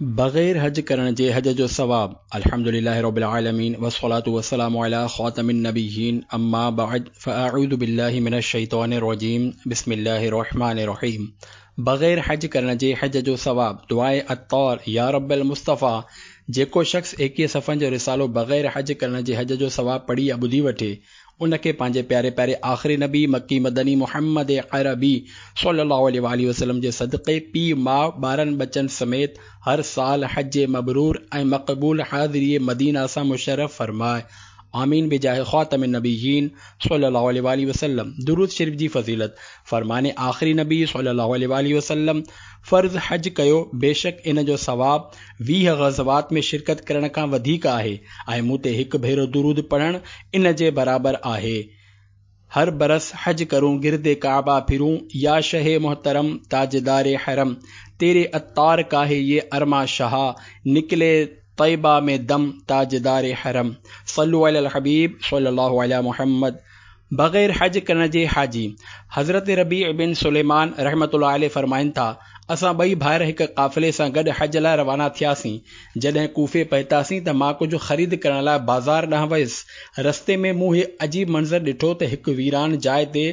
بغير حج ڪرڻ جي حج جو ثواب الحمد لله رب العالمين والصلاة والسلام علي خاتم النبيين اما بعد فاعوذ بالله من الشيطان الرجيم بسم الله الرحمن الرحيم بغير حج ڪرڻ جي حج جو ثواب دعاء عطار يا رب المصطفيٰ جيڪو شخص ايڪيهه صفحن جو رسالو بغير حج ڪرڻ جي حج جو ثواب پڙهي يا ٻڌي وٺي ان کي پنهنجي پياري پياري آخري نبي مڪي مدني محمد عربي صلي الله عليه واٰله وسلم جي صدقي پيء ماء ٻارن ٻچن سميت هر سال حج مبرور ۽ مقبول حاضري مدينه سان مشرف فرماء آمين بجاه خاتم النبيين صلي الله عليه واٰله وسلم درود شريف جي فضيلت فرمان آخري نبي صلي الله عليه واٰله وسلم فرض حج ڪيو بيشڪ ان جو ثواب 20 غزوات ۾ شرڪت ڪرڻ کان وڌيڪ آهي ۽ مون تي هڪ ڀيرو درود پڙهڻ ان جي برابر آهي. هر برس حج ڪرون گرد ڪعبه ڦرون يا شه محترم تاجدار حرم تيري عطار ڪا هي يه ارما شها نڪلي طيبه ۾ دم تاجدار حرم صلو علي الحبيب صلي الله علي محمد بغير حج ڪرڻ جي حاجي حضرت ربيع بن سليمان رحمة الله عليه فرمائن ٿا، اسان ٻئي ڀائر هڪ قافلي سان گڏ حج لاء روانا ٿياسين. جڏهن ڪوفي پهتاسين ته مان ڪجهه خريد ڪرڻ لاء بازار ڏانهن ويس. رستي ۾ مون هي عجيب منظر ڏٺو ته هڪ ويران جاء تي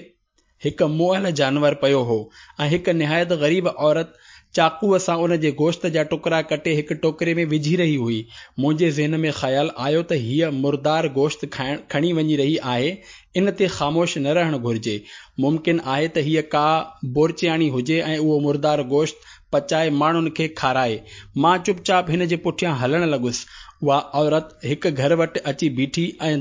هڪ مئل جانور پيو هو ۽ هڪ نهايت غريب عورت چاقوء سان ان جي گوشت جا ٽڪرا ڪٽي هڪ ٽوڪري ۾ وجهي رهي هئي. منهنجي ذهن ۾ خيال آيو ته هيء مردار گوشت کڻي وڃي رهي آهي، ان تي خاموش نه رهڻ گهرجي. ممڪن آهي ته هيء ڪا بورچياڻي هجي ۽ اهو مردار گوشت پچائي ماڻهن کي کارائي. مان چپ چاپ هن جي پٺيان هلڻ لڳس. اها عورت هڪ گهر وٽ اچي بيٺي ۽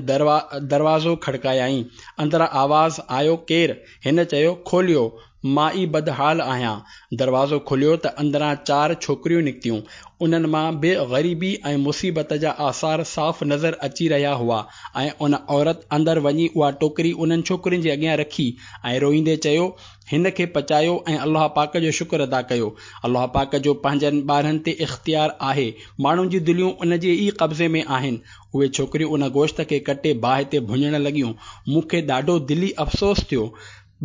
دروازو کڙڪايائين. اندران آواز آيو، ڪير؟ هن چيو، کوليو، مان ئي بدحال آهيان. دروازو کليو ته اندران چار ڇوڪريون نڪتيون. انهن مان به غريبي ۽ مصيبت جا آثار صاف نظر اچي رهيا هئا ۽ ان عورت اندر وڃي اها ٽوڪري انهن ڇوڪرين جي اڳيان رکي ۽ روئيندي چيو، هن کي پچايو ۽ الله پاڪ جو شڪر ادا ڪيو. الله پاڪ جو پنهنجن ٻانهن تي اختيار آهي. ماڻهن جون دليون ان جي ئي قبضي ۾ آهن. اهي ڇوڪريون ان گوشت کي ڪٽي باهه تي ڀڃڻ لڳيون. مون کي ڏاڍو دلي افسوس ٿيو.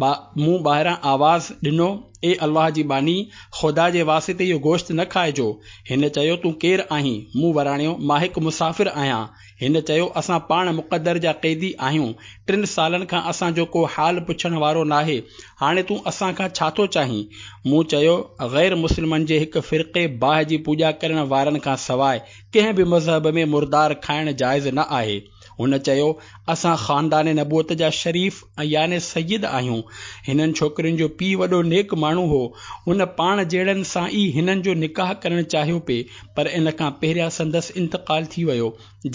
مون ٻاهران آواز ڏنو، اي الله جي ٻانهي! خدا جي واسطي اهو گوشت نه کائجو. هن چيو، تون ڪير آهين؟ مون وراڻيو، مان هڪ مسافر آهيان. هن چيو، اسان پاڻ مقدر جا قيدي آهيون. ٽن سالن کان اسان جو ڪو حال پڇڻ وارو ناهي. هاڻي تون اسان کان ڇا ٿو چاهين؟ مون چيو، غير مسلمن جي هڪ فرقي باهه جي پوڄا ڪرڻ وارن کان سواء ڪنهن به مذهب ۾ مردار کائڻ جائز نه آهي. هن چيو، اسان خاندان نبوت جا شريف يعني سيد آهيون. هنن ڇوڪرين جو پيء وڏو نيڪ ماڻهو هو. هن پاڻ جهڙن سان ئي هنن جو نڪاح ڪرڻ چاهيو پئي، پر ان کان پهريان سندس انتقال ٿي ويو.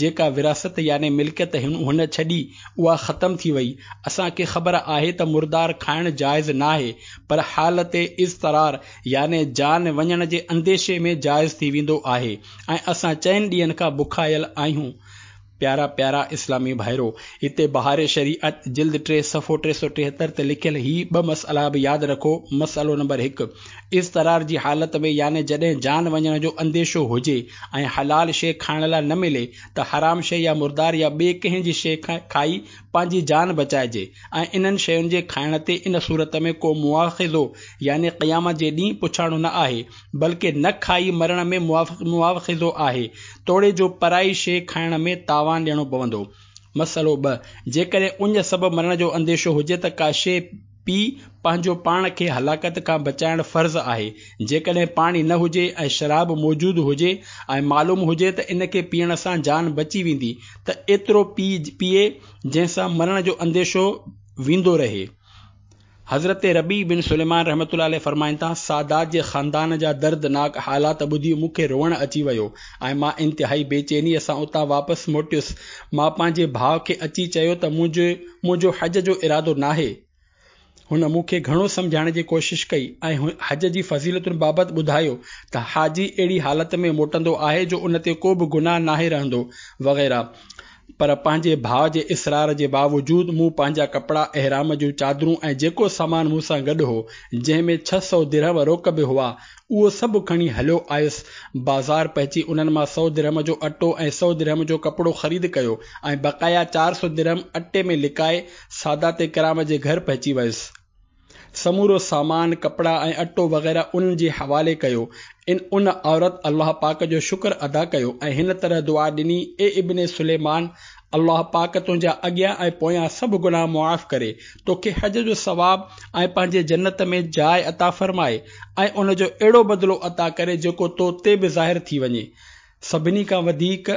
جيڪا وراثت يعني ملڪيت هن ڇڏي، اها ختم ٿي وئي. اسان کي خبر آهي ته مردار کائڻ جائز ناهي، پر حالت اضطرار يعني جان وڃڻ جي انديشي ۾ جائز ٿي ويندو آهي ۽ اسان چئن ڏينهن کان بکايل آهيون. پيارا پيارا اسلامي ڀائرو! هتي بهار شريعت جلد 3 صفحو 373 تي لکيل هي ٻه مسئلا به ياد رکو، مسئلو نمبر 1، اضطرار جي حالت ۾ يعني جڏهن جان وڃڻ جو انديشو هجي ۽ حلال شيء کائڻ لاء نه ملي ته حرام شيء يا مردار يا ٻي ڪنهن جي شيء کائي پنهنجي جان بچائجي ۽ انهن شين جي کائڻ تي ان صورت ۾ ڪو مواخذو يعني قيامت جي ڏينهن پڇاڻو نه آهي بلڪه نه کائي مرڻ ۾ مواخذو آهي، توڙي جو پرائي شيء کائڻ ۾ تاوان ڏيڻو پوندو. مسئلو ٻه، جيڪڏهن اڃ سبب مرڻ جو انديشو هجي ته ڪا شيء پي پنهنجو پاڻ کي هلاڪت کان بچائڻ فرض آهي. جيڪڏهن پاڻي نه هجي ۽ شراب موجود هجي ۽ معلوم هجي ته ان کي پيئڻ سان جان بچي ويندي ته ايترو پيئي جنهن سان مرڻ جو انديشو ويندو رهي. حضرت ربيع بن سليمان رحمة الله عليه فرمائن ٿا، سادات جي خاندان جا دردناڪ حالات ٻڌي مون کي روئڻ اچي ويو ۽ مان انتهائي بي چينيء سان اتان واپس موٽيس. مان پنهنجي ڀاء کي اچي چيو ته منهنجو حج جو ارادو ناهي. هن مون کي گهڻو سمجهائڻ جي ڪوشش ڪئي ۽ حج جي فضيلتن بابت ٻڌايو ته حاجي اهڙي حالت ۾ موٽندو آهي جو ان تي ڪو به گناهه ناهي رهندو وغيره. پر پنهنجي ڀاء جي اصرار جي باوجود مون پنهنجا ڪپڙا، احرام جون چادرون ۽ جيڪو سامان مون سان گڏ هو، جنهن ۾ 600 درهم روڪ به هئا، اهو سڀ کڻي هليو آيس. بازار پهچي انهن مان سؤ درهم جو اٽو ۽ سؤ درهم جو ڪپڙو خريد ڪيو ۽ بقايا 400 درهم اٽي ۾ لڪائي سادات ڪرام جي گهر پهچي ويس. سمورو سامان، ڪپڙا ۽ اٽو وغيره انهن جي حوالي ڪيو. ان ان عورت الله پاڪ جو شڪر ادا ڪيو ۽ هن طرح دعا ڏني، اي ابن سليمان! الله پاڪ تنهنجا اڳيان ۽ پويان سڀ گناهه معاف ڪري، توکي حج جو ثواب ۽ پنهنجي جنت ۾ جاء عطا فرمائي ۽ ان جو اهڙو بدلو عطا ڪري جيڪو تو تي به ظاهر ٿي وڃي. سڀني کان وڌيڪ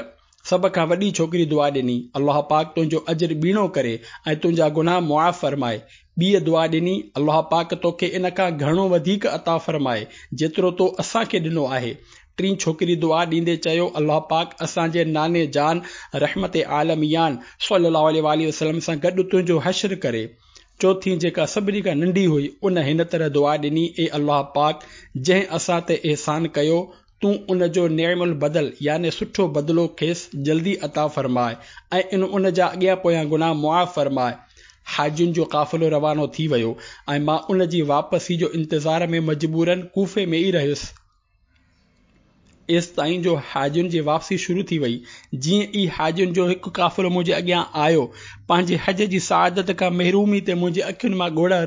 سڀ کان وڏي ڇوڪري دعا ڏني، الله پاڪ تنهنجو اجر ٻيڻو ڪري ۽ تنهنجا گناهه معاف فرمائي. ٻيء دعا ڏني، الله پاڪ توکي ان کان گهڻو وڌيڪ عطا فرمائي، جيترو تو اسان کي ڏنو آهي. ٽين ڇوڪري دعا ڏيندي چيو، الله پاڪ اسان جي ناني جان رحمت عالميان صلّي الله عليه واٰله وسلّم سان گڏ تنهنجو حشر ڪري. چوٿين جيڪا سڀني کان ننڍي هئي، ان هن طرح دعا ڏني، اي الله پاڪ! جنهن اسان تي احسان ڪيو، تون ان جو نعم البدل يعني سٺو بدلو کيس جلدي عطا فرماء ۽ ان ان جا اڳيان پويان گناهه معاف فرماء. حاجين جو قافلو روانو ٿي ويو ۽ مان ان جي واپسي جو انتظار ۾ مجبوراً ڪوفي ۾ ئي رهيس. ايستائين جو حاجين جي واپسي شروع ٿي وئي. جيئن ئي حاجين جو هڪ قافلو منهنجي اڳيان آيو، پنهنجي حج جي سعادت کان محرومي تي منهنجي اکين مان ڳوڙها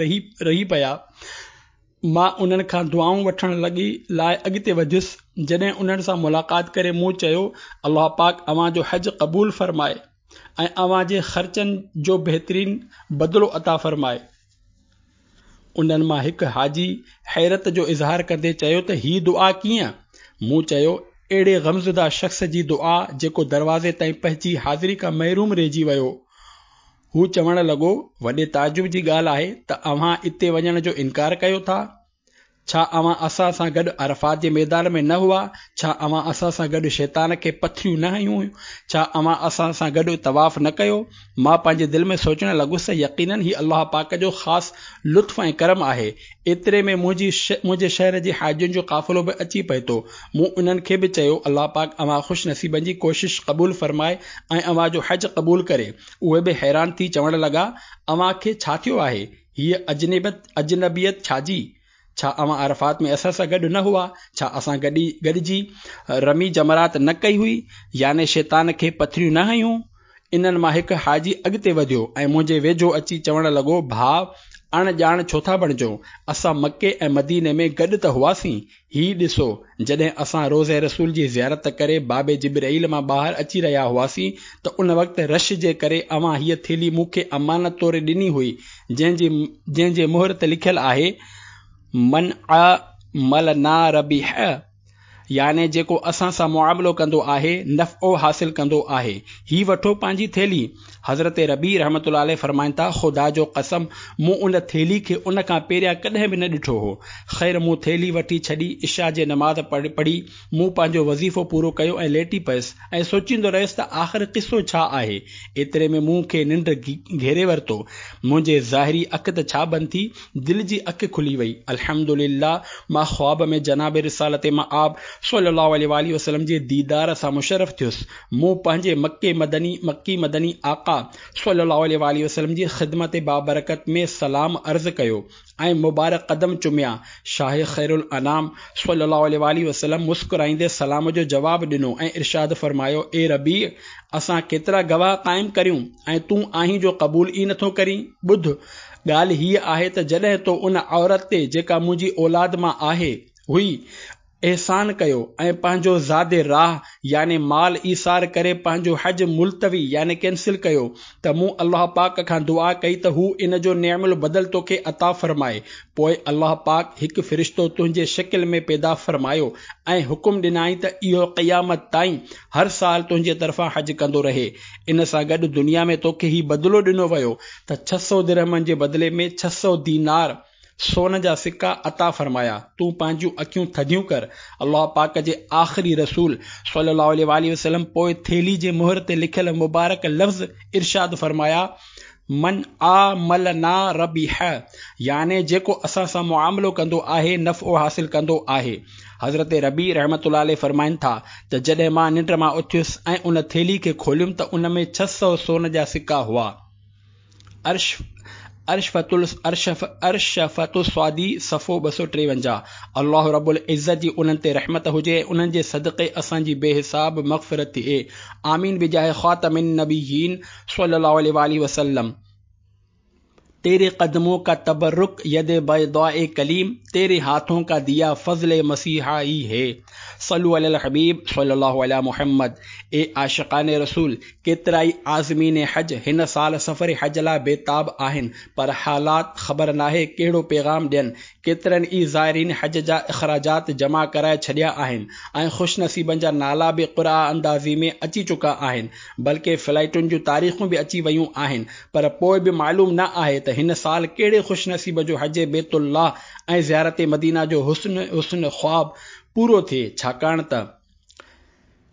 رهي پيا. مان انهن کان دعائون وٺڻ لڳي لاء اڳتي وڌيس، جڏهن انهن سان ملاقات ڪري مون چيو، الله پاڪ اوهان جو حج قبول فرمائي ۽ اوهان جي خرچن جو بهترين بدلو عطا فرمائي. انهن مان هڪ حاجي حيرت جو اظهار ڪندي چيو ته هي دعا ڪيئن؟ مون چيو، اهڙي غمزده شخص جي دعا جيڪو دروازي تائين پهچي حاضري کان محروم رهجي ويو. هو چوڻ لڳو، وڏي تعجب جي ڳالهه آهي ته اوهان اتي وڃڻ جو انڪار ڪيو ٿا. ڇا اوهان اسان سان گڏ عرفات جي ميدان ۾ نه هئا؟ ڇا اوهان اسان سان گڏ شيطان کي پٿريون نه هنيون هيون؟ ڇا اوهان اسان سان گڏ طواف نه ڪيو؟ مان پنهنجي دل ۾ سوچڻ لڳس ته يقيناً هي الله پاڪ جو خاص لطف ۽ ڪرم آهي. ايتري ۾ منهنجي منهنجي شهر جي حاجين جو قافلو به اچي پهتو. مون انهن کي به چيو، الله پاڪ اوهان خوش نصيبن جي ڪوشش قبول فرمائي ۽ اوهان جو حج قبول ڪري. اهي به حيران ٿي چوڻ لڳا، اوهان کي ڇا ٿيو آهي؟ هيء اجنبيت ڇا جي؟ ڇا اوهان عرفات ۾ اسان سان گڏ نه هئا؟ ڇا اسان گڏجي رمي جمرات نه ڪئي هئي؟ يعني شيطان کي پٿريون نه هنيون؟ انهن مان هڪ حاجي اڳتي وڌيو ۽ منهنجي ويجهو اچي چوڻ لڳو، ڀاء! اڻ ڄاڻ ڇو ٿا بڻجو؟ اسان مڪي ۽ مديني ۾ گڏ ته هئاسين. هي ڏسو، جڏهن اسان روضه رسول جي زيارت ڪري باب جبرئيل مان ٻاهر اچي رهيا هئاسين ته ان وقت رش جي ڪري اوهان هيء ٿيلهي مون کي امانت طور ڏني هئي، جنهن جي جنهن جي مهر تي لکيل آهي، من عاملنا ربح. يعني جيڪو اسان سان معاملو ڪندو آهي، نفعو حاصل ڪندو آهي. هي وٺو پنهنجي ٿيلهي. حضرت ربيع رحمة الله عليه فرمائن ٿا، خدا جو قسم مون ان ٿيلهي کي ان کان پهريان ڪڏهن به نه ڏٺو هو. خير مون ٿيلهي وٺي ڇڏي، عشاء جي نماز پڙهي مون پنهنجو وظيفو پورو ڪيو ۽ ليٽي پيس ۽ سوچيندو رهيس ته آخر قصو ڇا آهي؟ ايتري ۾ مون کي ننڊ گهيري ورتو. منهنجي ظاهري اک ته ڇا بند ٿي، دل جي اک کلي وئي. الحمد لله مان خواب ۾ جناب رسالت مآب صلّي الله عليه واٰله وسلّم جي ديدار سان مشرف ٿيس. مون پنهنجي مڪي مدني مڪي مدني آقا صلّي الله عليه واٰله وسلّم جي خدمت بابرڪت ۾ سلام عرض ڪيو ۽ مبارڪ قدم چميا. شاهه خيرالانام صلّي الله عليه واٰله وسلّم مسڪرائيندي سلام جو جواب ڏنو ۽ ارشاد فرمايو، اي ربيع! اسان ڪيترا گواهه قائم ڪريون ۽ تون آهين جو قبول ئي نٿو ڪرين؟ ٻڌ! ڳالهه هيء آهي ته جڏهن تو ان عورت تي، جيڪا منهنجي اولاد مان آهي، هئي، احسان ڪيو ۽ پنهنجو زاد راهه يعني مال ايثار ڪري پنهنجو حج ملتوي يعني ڪينسل ڪيو ته مون الله پاڪ کان دعا ڪئي ته هو ان جو نعم البدل توکي عطا فرمائي پوء الله پاڪ هڪ فرشتو تنهنجي شڪل ۾ پيدا فرمايو ۽ حڪم ڏنائين ته اهو قيامت تائين هر سال تنهنجي طرفان حج ڪندو رهي ان سان گڏ دنيا ۾ توکي هي بدلو ڏنو ويو ته 600 درهمن جي بدلي ۾ 600 دينار سون جا سڪا عطا فرمايا، تون پنهنجون اکيون ٿڌيون ڪر، الله پاڪ جي آخري رسول صلّي الله عليه واٰله وسلّم پوء ٿيلهي جي مهر تي لکيل مبارڪ لفظ ارشاد فرمايا، من عاملنا ربح يعني جيڪو اسان سان معاملو ڪندو آهي نفعو حاصل ڪندو آهي. حضرت ربيع رحمة الله عليه فرمائن ٿا ته جڏهن مان ننڊ مان اٿيس ۽ ان ٿيلهي کي کوليم ته ان ۾ 600 سون جا سڪا هئا. ارشفة السعدي صفحو 253 الله رب العزت جي انهن تي رحمت هجي ۽ انهن جي صدقي اسان جي بي حساب مغفرت ٿئي آمين بجاه خاتم النبيين صلي الله عليه واٰله وسلم. तेरे कदमों का तबर्रुक यद बैदाए कलीम, तेरे हाथों का दिया फज़ल मसीहाई है। सल्लु अलल हबीब सल्लल्लाहु अला मुहम्मद। ए आशिकान रसूल, केतिरा ई आज़मीन हज हिन साल सफ़र हज लाइ बेताब आहिनि, पर हालात ख़बर नाहे कहिड़ो पैगाम ॾियनि। केतिरनि ई ज़ाइरीन हज जा अख़राजात जमा कराए छॾिया आहिनि ऐं ख़ुशनसीबनि जा नाला बि क़ुरा अंदाज़ी में अची चुका आहिनि, बल्कि फ़्लाइटुनि जूं तारीख़ूं बि अची वयूं आहिनि, पर पोइ बि मालूम न आहे त हिन साल कहिड़े ख़ुशनसीब जो हज बैतुल्लाह ऐं ज़ियारत मदीना जो हुस्न हुस्न ख़्वाब पूरो थिए, छाकाणि त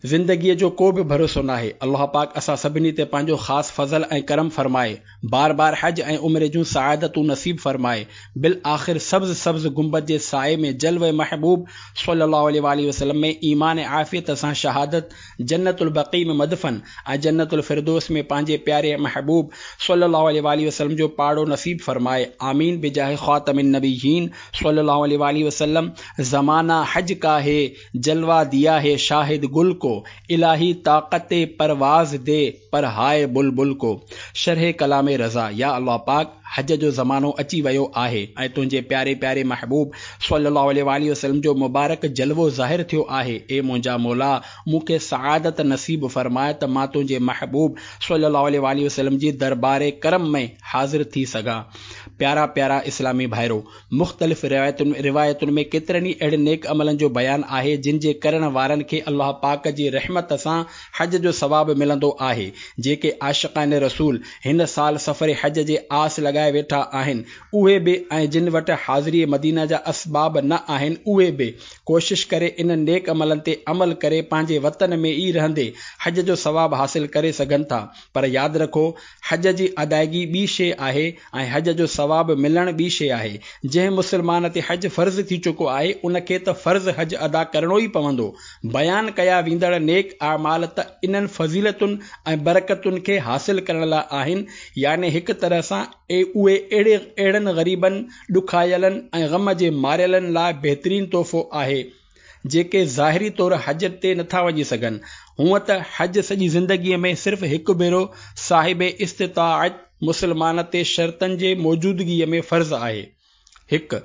ज़िंदगीअ जो को बि भरोसो नाहे। अलाह पाक असां सभिनी ते पंहिंजो ख़ासि फज़ल ऐं करम फरमाए, बार बार हज ऐं उम्रे जूं सआदतूं नसीब फरमाए, बिल आख़िर सब्ज़ सब्ज़ गुंबद जे साए में जलव महबूब सल्लल्लाहु अलैहि वसल्लम में ईमान आफ़ियत सां शहादत, जन्नतुल बक़ी में मदफन ऐं जन्नतुल फिरदौस में पंहिंजे प्यारे महबूब सल्लल्लाहु अलैहि वसल्लम जो पाड़ो नसीब फरमाए। आमीन बिजाह ख़ातमिन नबीयीन सल्लल्लाहु अलैहि वसल्लम। ज़माना हज का है, जलवा दिया है शाहिद गुल को, इलाही ताकत परवाज़ दे पर हाय बुलबुल को। शरह कलाम रज़ा। या अल्लाह पाक, हज जो ज़मानो अची वियो आहे ऐं तुंहिंजे प्यारे प्यारे महबूब सल्लल्लाहु अलैहि वसल्लम जो मुबारक जलवो ज़ाहिर थियो आहे। ए मुंहिंजा मौला, मूंखे सआदत नसीब फरमाए त मां तुंहिंजे महबूब सल्लल्लाहु अलैहि वसल्लम जी दरबार करम में हाज़िर थी सघां। प्यारा प्यारा इस्लामी भाइरो, मुख़्तलिफ़ रिवायतुनि में केतिरनि ई अहिड़नि नेक अमलनि जो बयान आहे जिन जे करण वारनि खे अल्लाह पाक जी रहमत सां हज जो सवाब मिलंदो आहे। जेके आशिक़ान रसूल हिन साल सफ़र हज जे आस लॻाए वेठा आहिनि उहे बि, ऐं जिन वटि हाज़िरी मदीना जा असबाब न आहिनि उहे बि कोशिश करे इन नेक अमलनि ते अमल करे पंहिंजे वतन में ई रहंदे हज जो सवाब हासिल करे सघनि था। पर यादि रखो, हज जी अदायगी ॿी शइ आहे ऐं हज जो सवाब मिलणु ॿी शइ आहे। जंहिं मुस्लमान ते हज फ़र्ज़ थी चुको आहे उनखे त फ़र्ज़ हज अदा करिणो ई पवंदो। बयान कया वेंदड़ नेक आमाल त इन्हनि फ़ज़ीलतुनि ऐं बरकतुनि खे हासिल करण लाइ आहिनि, यानी हिकु तरह सां उहे अहिड़नि ग़रीबनि, ॾुखायलनि ऐं ग़म जे मारियलनि लाइ बहितरीन तोहफ़ो आहे जेके ज़ाहिरी तौर हज ते नथा वञी सघनि। हूअं त हज सॼी ज़िंदगीअ में सिर्फ़ु हिकु भेरो साहिब इस्तिताअत मुस्लमान ते शर्तनि जे मौजूदगीअ में फ़र्ज़ आहे। 1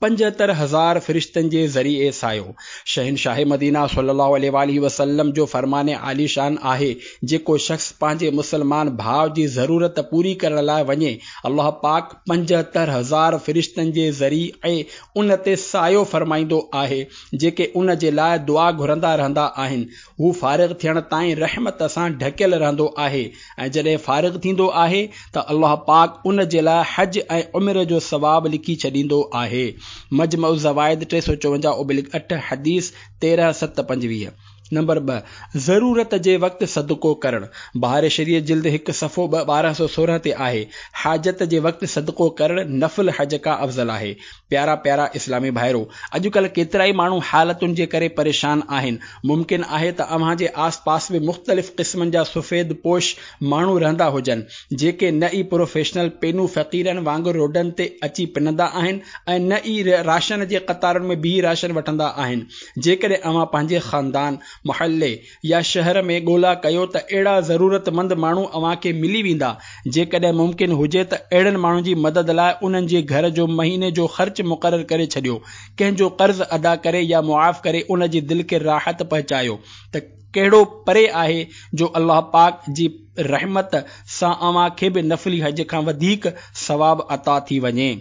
75,000 फ़रिश्तनि जे ज़रिए सायो। शहनशाह मदीना सल्लल्लाहु अलैहि वसल्लम जो फरमान आलीशान आहे, जेको शख़्स पंहिंजे मुस्लमान भाउ जी ज़रूरत पूरी करण लाइ वञे, अल्लाह पाक 75,000 फ़रिश्तनि जे ज़रिए उन ते सायो फरमाईंदो आहे जेके उन जे लाइ दुआ घुरंदा रहंदा आहिनि। हू फ़ारिग़ थियण ताईं रहमत सां ढकियल रहंदो आहे ऐं जॾहिं फ़ारिग़ थींदो आहे त अल्लाह पाक उन जे लाइ हज ऐं उम्र जो सवाब लिखी छॾींदो आहे। मजमा ज़वाइद 354/8 हदीस 13/7/25। नंबर 2, ज़रूरत जे वक़्तु सदको करणु। बहार शरीअत जिल्द 1 सफ़ो 1216 ते आहे। हाजत जे वक़्तु सदको करणु नफ़िल हज खां अफ़ज़ल आहे। प्यारा प्यारा इस्लामी भाइरो, अॼुकल्ह केतिरा ई माण्हू हालतुनि जे करे परेशान आहिनि। मुमकिन आहे त अव्हां जे आस पास बि मुख़्तलिफ़ क़िस्मनि जा सफ़ेद पोश माण्हू रहंदा हुजनि, जेके न ई प्रोफेशनल पेनू फ़क़ीरनि वांगुरु रोडनि ते अची पिनंदा आहिनि ऐं न ई राशन जे क़तारुनि में बीही राशन वठंदा आहिनि। जेकॾहिं अव्हां पंहिंजे ख़ानदान, मोहल्ले या शहर में ॻोल्हा कयो त अहिड़ा ज़रूरतमंद माण्हू अव्हां खे मिली वेंदा। जेकॾहिं मुमकिन हुजे त अहिड़नि माण्हुनि जी मदद लाइ उन्हनि जे घर जो महीने जो ख़र्च मुक़ररु करे छॾियो। कंहिंजो क़र्ज़ अदा करे या मुआफ़ करे उन जी दिलि खे राहत पहुचायो त कहिड़ो परे आहे जो अल्लाह पाक जी रहमत सां अव्हां खे बि नफ़ली हज खां वधीक सवाब अता थी वञे।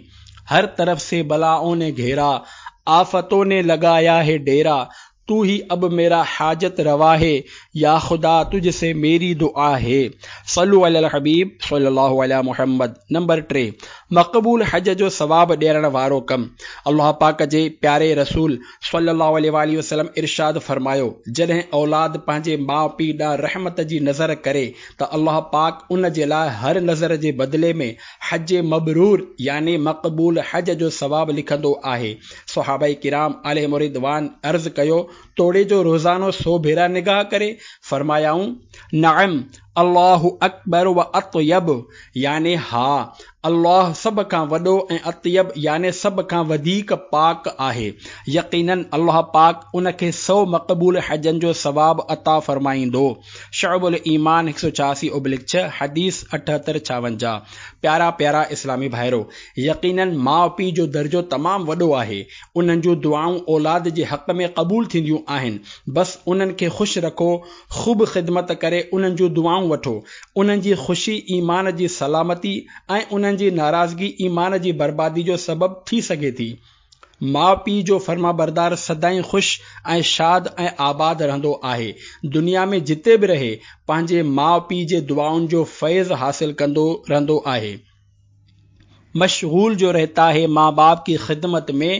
हर तरफ़ से बलाओं ने घेरा, आफ़तों ने लगाया है डेरा, तू ही अब मेरा हाजत रवा है, या खुदा तुझसे मेरी दुआ है। सल्लु अलल हबीब सल्लल्लाहु अला मुहम्मद। नंबर 3, मक़बूल हज जो सवाब ॾियण वारो कमु। अल्लाह पाक जे प्यारे रसूल सल्लल्लाहु अलैहि वसल्लम इरशाद फरमायो, जॾहिं औलाद पंहिंजे माउ पीउ ॾांहुं रहमत जी नज़र करे त अल्लाह पाक उन जे लाइ हर नज़र जे बदिले में हज मबरूर यानी मक़बूल हज जो सवाब लिखंदो आहे। सहाबा किराम अलैहिम रिदवान अर्ज़ कयो, तोड़े जो रोज़ानो 100 भेरा निगाह करे? फरमायाऊं, नअम, الله اڪبر و اطيب يعني ها، الله سڀ کان وڏو ۽ اطيب يعني سڀ کان وڌيڪ پاڪ آهي. يقيناً الله پاڪ ان کي سو مقبول حجن جو ثواب عطا فرمائيندو. شعب الايمان 186/6، حديث 78 56. پيارا پيارا اسلامي ڀائرو! يقيناً ماء پيء جو درجو تمام وڏو آهي. انهن جون دعائون اولاد جي حق ۾ قبول ٿينديون آهن. بس انهن کي خوش رکو خوب خدمت ڪري انهن جون دعائون وٺو. انهن جي خوشي ايمان جي سلامتي ۽ انهن جي ناراضگي ايمان جي بربادي جو سبب ٿي سگهي ٿي. ماء پيء جو فرمانبردار سدائين خوش ۽ شاد ۽ آباد رهندو آهي. دنيا ۾ جتي به رهي، پنهنجي ماء پيء جي دعائن جو فيض حاصل ڪندو رهندو آهي. مشغول جو رهتا هي ماء باپ ڪي خدمت ۾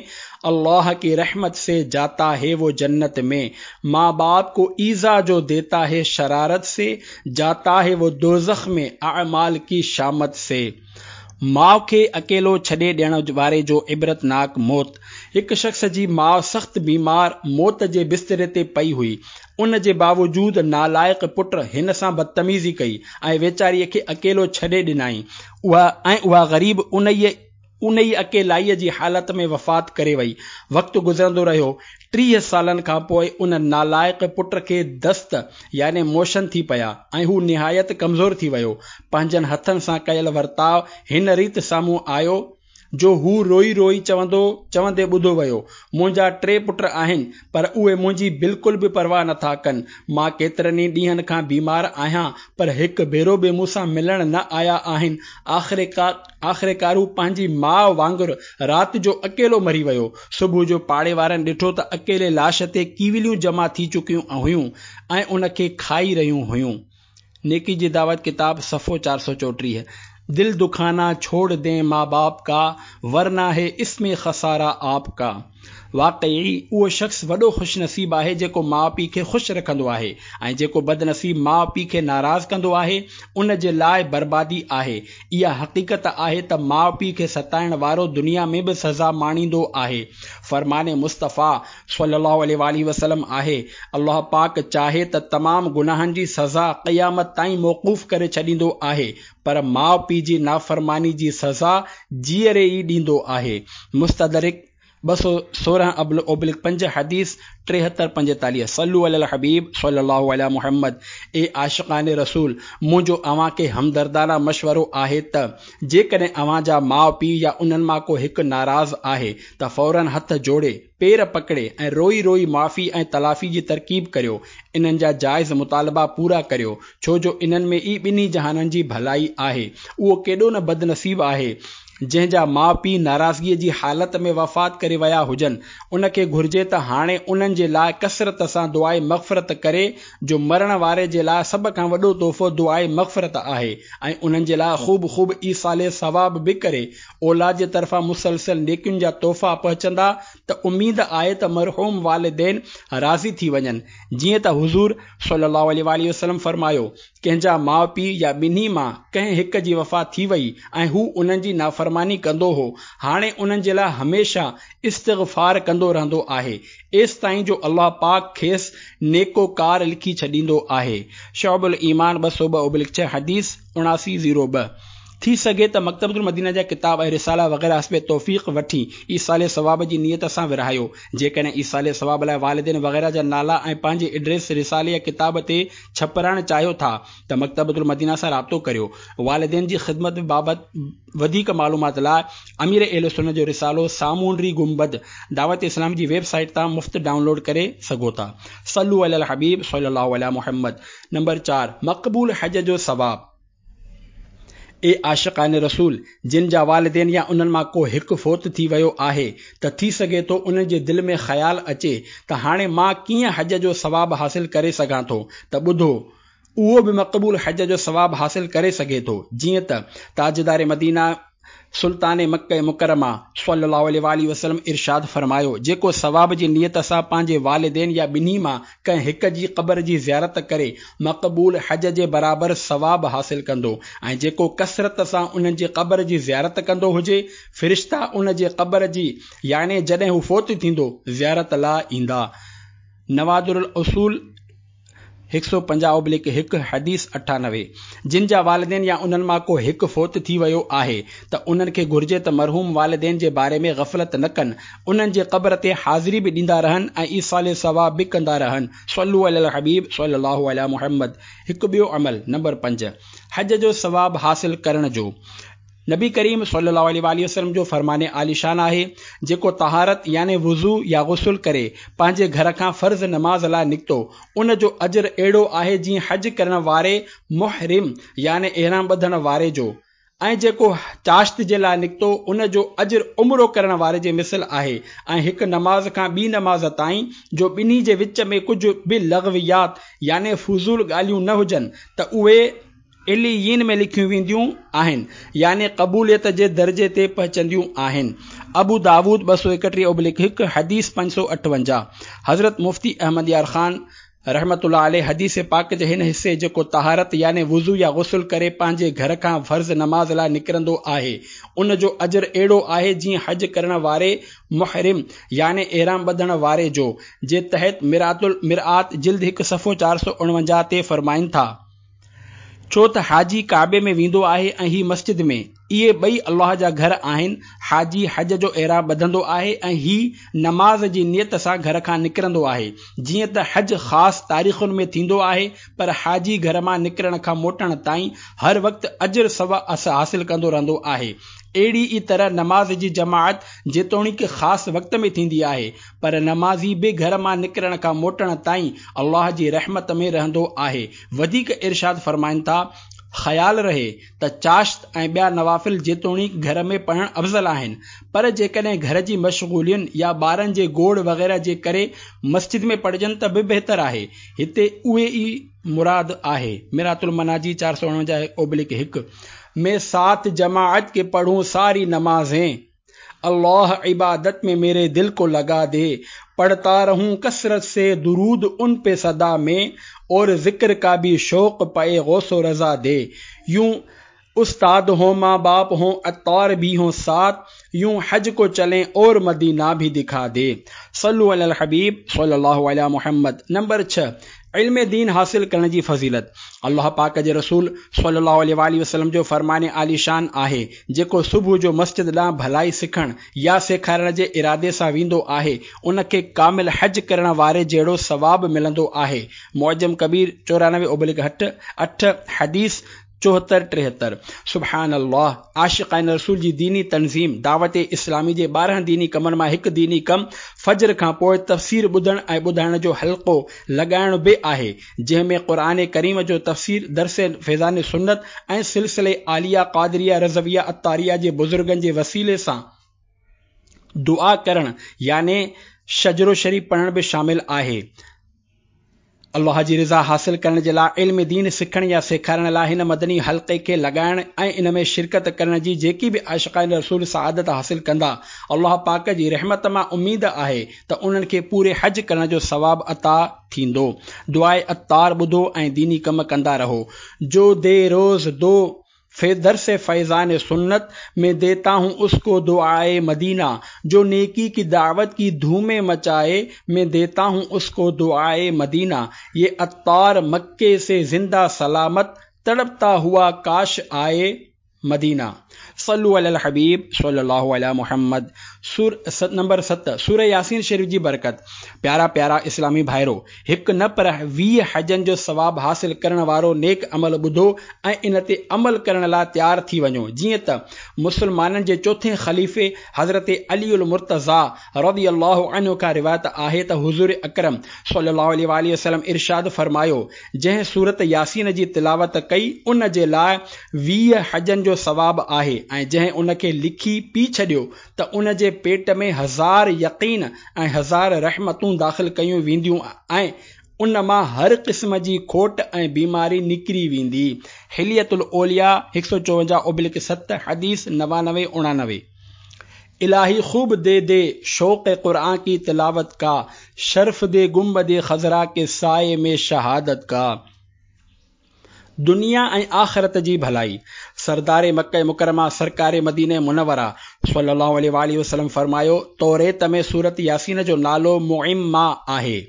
الله ڪي رحمت سي جاتا هي وو جنت ۾ ماء باپ ڪو ايذا جو ديتا هي شرارت سي جاتا هي وو دوزخ ۾ اعمال ڪي شامت سي ماء کي اڪيلو ڇڏي ڏيڻ واري جو عبرتناڪ موت هڪ شخص جي ماء سخت بيمار موت جي بستري تي پئي هئي ان جي باوجود نالائق پٽ هن سان بدتميزي ڪئي ۽ ويچاريء کي اڪيلو ڇڏي ڏنائين. اها ۽ اها غريب انهيء انهيء اڪيلائيء جي حالت ۾ وفات ڪري وئي. وقت گذرندو رهيو. 30 سالن کان پوء ان نالائق پٽ کي دست يعني موشن ٿي پيا ۽ هو نهايت ڪمزور ٿي ويو. پنهنجن هٿن سان ڪيل ورتاء هن ريت سامهون آيو، جو هو روئي روئي چوندو چوندي ٻڌو ويو، منهنجا ٽي پٽ آهن، پر اهي منهنجي بلڪل به پرواهه نٿا ڪن. مان ڪيترن ئي ڏينهن کان بيمار آهيان، پر هڪ ڀيرو به مون سان ملڻ نه آيا آهن. آخرڪار هو پنهنجي ماء وانگر رات جو اڪيلو مري ويو. صبح جو پاڙي وارن ڏٺو ته اڪيلي لاش تي ڪيوليون جمع ٿي چڪيون هيون ۽ ان کي کائي رهيون هيون. نيڪي جي دعوت ڪتاب صفحو 434 دل دکانا ڇوڙ دين ماء باپ ڪا ورنه هي اس ۾ خسارا آپ ڪا واقعي اهو شخص وڏو خوش نصيب آهي جيڪو ماء پيء کي خوش رکندو آهي ۽ جيڪو بدنصيب ماء پيء کي ناراض ڪندو آهي ان جي لاء بربادي آهي اها حقيقت آهي ته ماء پيء کي ستائڻ وارو دنيا ۾ به سزا ماڻيندو آهي فرمان مصطفيٰ صلّي اللّٰه عليه واٰله وسلّم آهي، الله پاڪ چاهي ته تمام گناهن جي سزا قيامت تائين موقوف ڪري ڇڏيندو آهي پر ماء پيء جي نافرماني جي سزا جيئري ئي ڏيندو آهي. مستدرڪ 216 اوبلڪ 5 حديث 73 45 صلو علي الحبيب صلي الله علي محمد اي عاشقان رسول! منهنجو اوهان کي همدردانه مشورو آهي ته جيڪڏهن اوهان جا ماء پيء يا انهن مان ڪو هڪ ناراض آهي ته فوراً هٿ جوڙي، پير پڪڙي ۽ روئي روئي معافي ۽ تلافي جي ترڪيب ڪريو، انهن جا جائز مطالبا پورا ڪريو، ڇو جو انهن ۾ ئي ٻنهي جهانن جي ڀلائي آهي. اهو ڪيڏو نه بدنصيب آهي، جنهن جا ماء پيء ناراضگيء جي حالت ۾ وفات ڪري ويا هجن، ان کي گهرجي ته هاڻي انهن جي لاء ڪثرت سان دعاء مغفرت ڪري، جو مرڻ واري جي لاء سڀ کان وڏو تحفو دعاء مغفرت آهي ۽ انهن جي لاء خوب خوب ايصال ثواب به ڪري، اولاد جي طرفان مسلسل نيڪين جا تحفا پهچندا ته اميد آهي ته مرحوم والدين راضي ٿي وڃن. جيئن ته حضور صلي الله عليه واٰله وسلم فرمايو، ڪنهن جا ماء پيء يا ٻنهي مان ڪنهن هڪ جي وفات ٿي وئي ۽ هو انهن جي نافرماني ڪندو هو، هاڻي انهن جي لاء هميشه استغفار ڪندو رهندو آهي، ايستائين جو الله پاڪ کيس نيڪو ڪار لکي ڇڏيندو آهي. شعب الايمان 202/6 حديث 79 02. ٿي سگهي ته مڪتبة المدينه جا ڪتاب ۽ رسالا وغيره حسب توفيق وٺي ايصال ثواب جي نيت سان ورهايو. جيڪڏهن ايصال ثواب لاء والدين وغيره جا نالا ۽ پنهنجي ائڊريس رسالي يا ڪتاب تي ڇپرائڻ چاهيو ٿا ته مڪتبة المدينه سان رابطو ڪريو. والدين جي خدمت بابت وڌيڪ معلومات لاء امير اهل سنت جو رسالو سامونڊي گنبد دعوت اسلامي جي ويب سائيٽ تان مفت ڊائونلوڊ ڪري سگهو ٿا. صلو علي الحبيب صلي الله علي محمد نمبر چار، مقبول حج جو ثواب. اي عاشقان رسول! جن جا والدين يا انهن مان ڪو هڪ فوت ٿي ويو آهي ته ٿي سگهي ٿو انهن جي دل ۾ خيال اچي ته هاڻي مان ڪيئن حج جو ثواب حاصل ڪري سگهان ٿو ته ٻڌو! اهو به مقبول حج جو ثواب حاصل ڪري سگهي ٿو جيئن ته تاجدار مدينه سلطان مڪه مڪرمه صلّي اللّٰه عليه واٰله وسلّم ارشاد فرمايو، جيڪو ثواب جي نيت سان پنهنجي والدين يا ٻنهي مان ڪنهن هڪ جي قبر جي زيارت ڪري، مقبول حج جي برابر ثواب حاصل ڪندو ۽ جيڪو ڪثرت سان انهن جي قبر جي زيارت ڪندو هجي، فرشتا ان جي قبر جي، يعني جڏهن هو فوت ٿيندو، زيارت لاء ايندا. نوادر الاصول. 150 اوبليڪ 1، حديث 98. جن جا والدين يا انهن مان ڪو هڪ فوت ٿي ويو آهي ته انهن کي گهرجي ته مرحوم والدين جي باري ۾ غفلت نه ڪن، انهن جي قبر تي حاضري به ڏيندا رهن ۽ ايصال ثواب به ڪندا رهن. صلو علي الحبيب صلي الله علي محمد هڪ ٻيو عمل، نمبر 5، حج جو ثواب حاصل ڪرڻ جو. نبي ڪريم صلي الله عليه واٰله وسلم جو فرمان عاليشان آهي، جيڪو طهارت يعني وضو يا غسل ڪري پنهنجي گهر کان فرض نماز لاء نڪتو، ان جو اجر اهڙو آهي جيئن حج ڪرڻ واري محرم يعني احرام ٻڌڻ واري جو، ۽ جيڪو چاشت جي لاء نڪتو ان جو اجر عمرو ڪرڻ واري جي مثل آهي ۽ هڪ نماز کان ٻي نماز تائين جو ٻنهي جي وچ ۾ ڪجهه به لغويات يعني فضول ڳالهيون نه هجن ته اهي عليين ۾ لکيون وينديون آهن يعني قبوليت جي درجي تي پهچنديون آهن. ابو داود 231 اوبليڪ 1، حديث 558. حضرت مفتي احمد يار خان رحمة الله عليه حديث پاڪ جي هن حصي جيڪو طهارت يعني وضو يا غسل ڪري پنهنجي گهر کان فرض نماز لاء نڪرندو آهي ان جو اجر اهڙو آهي جيئن حج ڪرڻ واري محرم يعني احرام ٻڌڻ واري جو جي تحت مرآة المرآة جلد 1 صفحو 449 تي فرمائن ٿا. ڇو ته حاجي ڪعبي ۾ ويندو آهي ۽ هي مسجد ۾، اهي ٻئي الله جا گهر آهن، حاجي حج جو احرام ٻڌندو آهي ۽ هي نماز جي نيت سان گهر کان نڪرندو آهي، جيئن ته حج خاص تاريخن ۾ ٿيندو آهي پر حاجي گهر مان نڪرڻ کان موٽڻ تائين هر وقت اجر حاصل ڪندو رهندو آهي. اهڙي ئي طرح نماز جي جماعت جيتوڻيڪ خاص وقت ۾ ٿيندي آهي پر نمازي به گهر مان نڪرڻ کان موٽڻ تائين الله جي رحمت ۾ رهندو آهي. وڌيڪ ارشاد فرمائن ٿا، خيال رهي ته چاشت ۽ ٻيا نوافل جيتوڻيڪ گهر ۾ پڙهڻ افضل آهن پر جيڪڏهن گهر جي مشغولين يا ٻارن جي گوڙ وغيره جي ڪري مسجد ۾ پڙهجن ته به بهتر آهي. هتي اهي ئي مراد آهي. مرآة المناجي 449 اوبليڪ 1 مين ساتھ جماعت ڪي پڙهون ساري نمازين الله عبادت ۾ ميري دل ڪو لگا the پڙهتا رهون ڪثرت سي درود ان پي سدا مين اور ذڪر ڪا ڀي شوق پئي غوث و رضا the يون استاد هون مان باپ هون عطار ڀي هون ساتھ يون حج ڪو چلين اور مدينه ڀي دکا the صلو علي الحبيب صلي الله علي محمد نمبر 6 علم دين حاصل ڪرڻ جي فضيلت الله پاڪ جي رسول صلي الله عليه واٰله وسلم جو فرمان عاليشان آهي جيڪو صبح جو مسجد ڏانهن ڀلائي سکڻ يا سيکارڻ جي ارادي سان ويندو آهي ان کي ڪامل حج ڪرڻ واري جهڙو ثواب ملندو آهي معجم ڪبير 94 اوبلڪ 8 حديث 74 73. سبحان الله! عاشقان رسول جي ديني تنظيم دعوت اسلامي جي 12 ديني ڪمن مان هڪ ديني ڪم فجر کان پوء تفسير ٻڌڻ ۽ ٻڌائڻ جو حلقو لڳائڻ به آهي جنهن ۾ قرآن ڪريم جو تفسير درس فيضان سنت ۽ سلسلي عاليه قادريه رضويه عطاريه جي بزرگن جي وسيلي سان دعا ڪرڻ يعني شجرو شريف پڙهڻ به شامل آهي. الله جي رضا حاصل ڪرڻ جي لاء علم دين سکڻ يا سيکارڻ لاء هن مدني حلقي کي لڳائڻ ۽ ان ۾ شرڪت ڪرڻ جي جيڪي به عاشقان رسول سعادت حاصل ڪندا الله پاڪ جي رحمت مان اميد آهي ته انهن کي پوري حج ڪرڻ جو ثواب عطا ٿيندو. دعاء عطار ٻڌو ۽ ديني ڪم ڪندا رهو. جو the روز دو في درس فيضان سنت مين ديتا هون اس ڪو دعاء مدينه جو نيڪي ڪي دعوت ڪي ڌومين مچائي مين ديتا هون اس ڪو دعاء مدينه يه عطار مڪي سي زنده سلامت تڙپتا هوا ڪاش آئي مدينه صلو علي الحبيب صلي الله علي محمد سور نمبر 7 سوره ياسين شريف جي برڪت پيارا پيارا اسلامي ڀائرو هڪ نه پر 20 حجن جو ثواب حاصل ڪرڻ وارو نيڪ عمل ٻڌو ۽ ان تي عمل ڪرڻ لاء تيار ٿي وڃو جيئن ته مسلمانن جي چوٿين خليفي حضرت علي المرتضيٰ رضي الله عنه کان روايت آهي ته حضور اڪرم صلي الله عليه واٰله وسلم ارشاد فرمايو جنهن سورت ياسين جي تلاوت ڪئي ان جي لاء 20 حجن جو ثواب آهي ۽ جنهن ان کي لکي پي ڇڏيو ته ان جي پيٽ ۾ هزار يقين ۽ هزار رحمتون داخل ڪيون وينديون ۽ ان مان هر قسم جي کوٽ ۽ بيماري نڪري ويندي. حلية الاولياء 154 اوبلڪ 7، حديث 99 89. الٰهي خوب the the شوق قرآن ڪي تلاوت ڪا، شرف the گنبد خضرا ڪي سائي ۾ شهادت ڪا. دنيا ۽ آخرت جي ڀلائي. سردار مڪه مڪرمه سرڪار مدينه منوره صلي الله عليه واٰله وسلم فرمايو، توريت ۾ سورت ياسين جو نالو معمّا آهي.